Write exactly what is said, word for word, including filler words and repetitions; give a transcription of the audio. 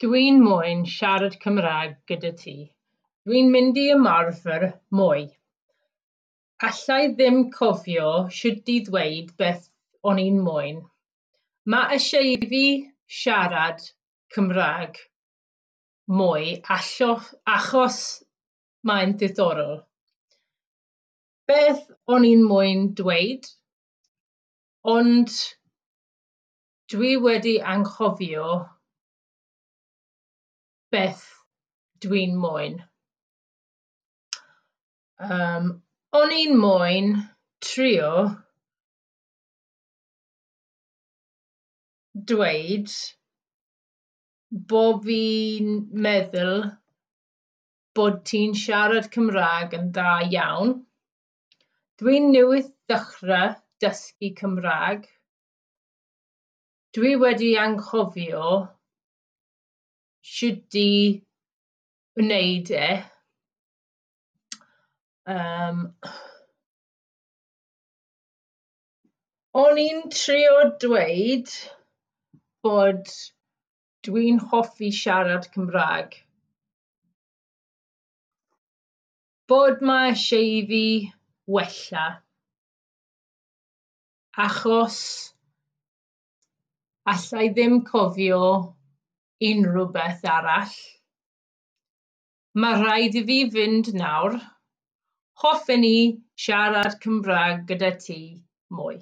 Dwi'n moyn siarad Cymraeg gyda ti. Dwi'n mynd i ymarfer mwy. Alla i ddim cofio shwt i ddweud beth o'n i'n moyn. Mae eisiau i fi siarad Cymraeg mwy allo- achos mae'n diddorol. Beth o'n i'n moyn dweud? Ond dwi wedi anghofio beth dwi'n moyn. Yym, o'n i'n moyn trio dweud bo' fi'n meddwl bod ti'n siarad Cymraeg yn dda iawn. Dwi'n newydd ddechrau dysgu Cymraeg. Dwi wedi anghofio shwt i wneud e. Yym, o'n i'n trio dweud bod dwi'n hoffi siarad Cymraeg. Bod mae eisiau i fi wella achos alla i ddim cofio unrhyw beth arall. Mae rhaid i fi fynd nawr. Hoffen i siarad Cymraeg gyda ti mwy.